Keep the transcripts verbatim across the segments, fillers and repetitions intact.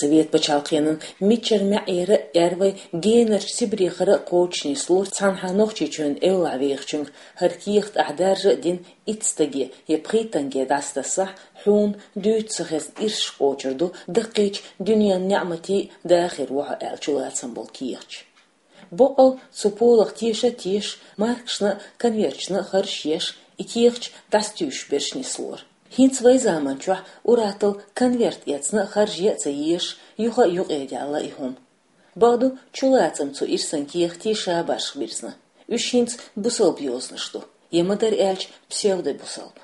Совет пачхьалкхенан миччар маьӀӀера а, аьрвай генарча Сибрехара а кхочушнислора цхьанхьа Нохчийчоьнан эвлахь вехачуьнга хӀара кехат ахь даржа а дина итт стаге е пхийттанге дӀасадассахь, хьуна дуьйцу ца хезна ирсаш кхочур ду даккхийча дуьненан неӀматий дахар ву хьо аьлла чулацам болу кехаташ. Боккъал цу полах теша а тешаш, маркашна а, конверташна а харжаш еш, и кехаташ дӀасатуьйсуш берш нислора. ХӀинца вай заманчохь уратал конверт эцна а харжа а ца езаш, юха а юкъедаьлла и хӀума. Бакъду, чулацам цу ирсан кехатийн ша башха бирзина. Уьш хӀинца бусалба йозанаш ду, е ма-дарра аьлча, псевдобусалба.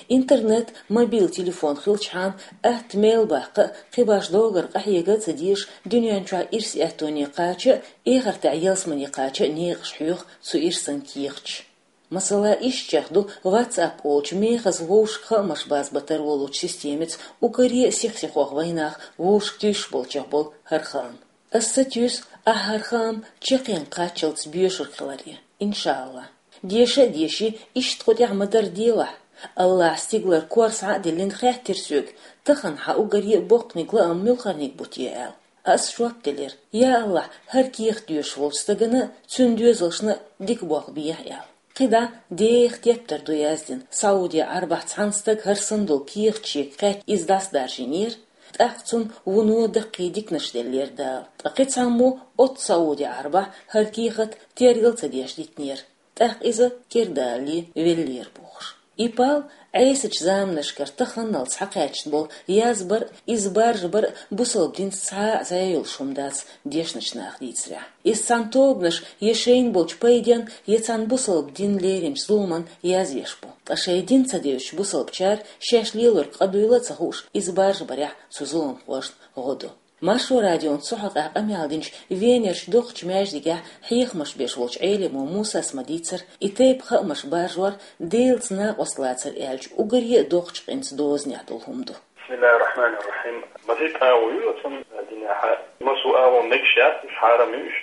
Интернет, мобил телефон хилчхьана, атта мел баккха а, кхибарш догар къахьега а ца дезаш, дуьнен чохь ирс аьттоне кхача а, эхартехь ялсамане кхача а некъаш хьоьху цу ирсан кехаташ. Масала, иштта чекх ду WhatsApp олучу мехаза вовшашка хаамаш базбан тарлолучу системица уггаре а сих-сихох вайнах вовшашка туьйсуш болчех болу хӀара хаам. Ас сатуьйсу ахь хӀара хаам чекхйенга кхаччалц боьшург хиларе, иншаАллахӀ. Деша а деший, иштта кху тӀехь ма-дарра делахь. АллахӀа стигалара кор схьа а диллина хаьттира соьга, тахана хьан уггаре а боккханиг, лаам муьлхарниг бу те аьлла. Ас жоп делира: я АллахӀ, хӀара кехат доьшуш волчу стагана а, цуьнан доьзалшна а дика болх бехьа аьлла. КхидӀа деха тептар ду яздина, Саудия Ӏарбахь цхьана стага хӀара санна долу кехат шега кхаьчча, иза дӀасадаржийнера, тӀаккха цунна вуно даккхий диканаш деллера Дала. Ткъа кхин цхьаммо оццу Саудия Ӏарбахь хӀара кехат тергал а ца деш дитинера, тӀаккха иза кердалале веллера бохуш. И пал Ӏесачу заманашкара таханалц схьакхаьчна болу язбар а, иза баржабар а бусалба динца цхьа а зӀе йолуш хӀума дац, дешначу наха дийцарехь. Иза цхьана тобанаш я шайна болчу пайденна, я цхьана бусалба дин леринчу зуламан язвеш бу. Ткъа шайн дин ца девзачу бусалбачара шаьш лелорг къа дуйла а ца хууш, иза баржабарехь цу зуламхошна гӀо ду. Маршо радион цу хьокъехь къамел динчу Венерчу доккхачу маьждигехь хьехамаш беш волчу Ӏелимо Мусас ма-дийццара, и тайпа хаамаш баржор Делаца накъост лацар аьллачу уггаре а доккхачу къинца дозанехь долу хӀума ду. بسم الله الرحمن الرحيم. Масийтта агӀо ю оцу динехь. Массо а агӀо мегаш яц, уьш хьарам ю, уьш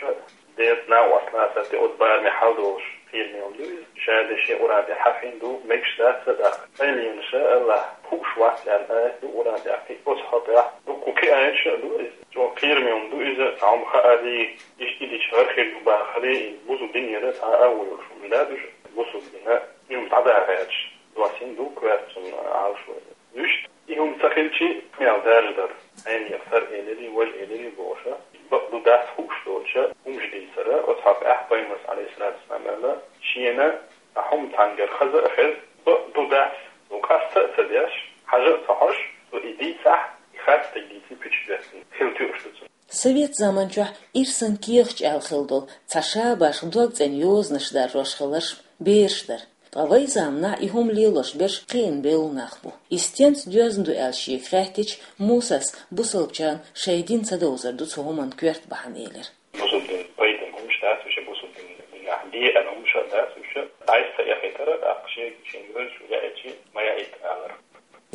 Делаца накъост лацар тӀе оцу бараме хьал долуш кхераме хӀума ду иза. Ша деши Къуръан тӀе хьахийна ду, мегаш дац а тӀаккха. Къайленаша АллахӀа хууш вац аьлла аят ду Къуръан тӀехь, кхин оцу хьокъехь дуккха кхин аяташ а ду иза. ЧӀогӀа кхераме хӀума ду иза, цхьа хӀума хаарий, иштта и дича гӀар хир ду бахарий, и бусалба динера цхьа а агӀо йолуш хӀума дац уьш, бусалба дина и хӀума дӀадахьа гӀерташ. Доссийна ду коьртачун Ӏалашо. Вуьшта и хӀума ца хилчи, мел даржа дара. Хьенех сара элирий, важа элирий бохуша, бакъду дац хууш долча хӀумаш дийцара, оцу хьокъехь Пайхамарс, Ӏалайхиссалату вассалам, аьлла, шена а хӀума цхьаьнгара хаза а хеза, бакъду дац, цо къаста а ца деш, хьажа а ца хьожуш, цо и дийцахь, и харцтиг дийцина пуьчаш доьттина хила туьйш ду цунна. Совет заманчохь ирсан кехаташ аьлла хилла долу цхьа шабаш дог цӀена йозанаш даржош хилларш бераш дара. Ткъа вай заманахь и хӀума лелош берш кхиъна бевлла нах бу. И стенца доьзна ду аьлла шега хаьттича, Мусас бусалбачарна шайн дин ца довзар ду цу хӀуманна коьрта бахьана элира. Бусалба дин пайдина хӀумаш дац, уьш бусалба дин, динехь деана хӀумаш а дац, уьш дӀасаэхийтара, тӀаккха шега шен вевзаш яийчи ма яийта алара.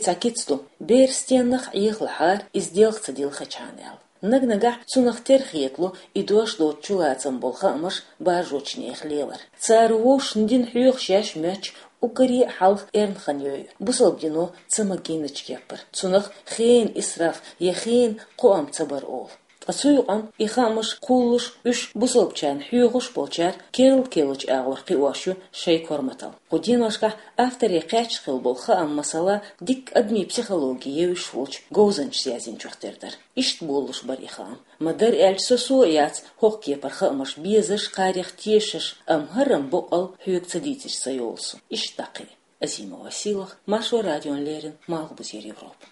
Цхьа кица ду, бер стеннах Ӏехалахьара, иза делха ца дилхачхьана аьлла. Наг-нагахь цунах тера хетало и дош доцучу лацам болу хаамаш баржочу нехан лелар. Цара вовшашна дин хьоьхуш еш моьттуш, уггаре а хьалха эрна хан йойу, бусалба дино ца магийначу кеппара. Цунах хенан исраф я хенан кхоам ца бар олу. Ткъа цу юкъана и хаамаш кхуллуш, уьш бусалбачарна хьоьхуш болчара керла-керлачу агӀор кхиош ю шайн корматалла. Кху деношкахь авторе кхаьчна хилла болу хаам, масала, дикка адамийн психологи евзаш волчу говзанчаша язйинчух тера дара. Иштта болалуш бара и хаам. Ма-дарра аьлча, со-со а яц хӀокху кепара хаамаш безаш, кхарех тешаш, амма хӀара-м боккъал хьоьга ца дийцича ца йолу со. Иштта дӀакхиъ. Азимова Силах, Маршо радиона леррина, Малхбузера Европа.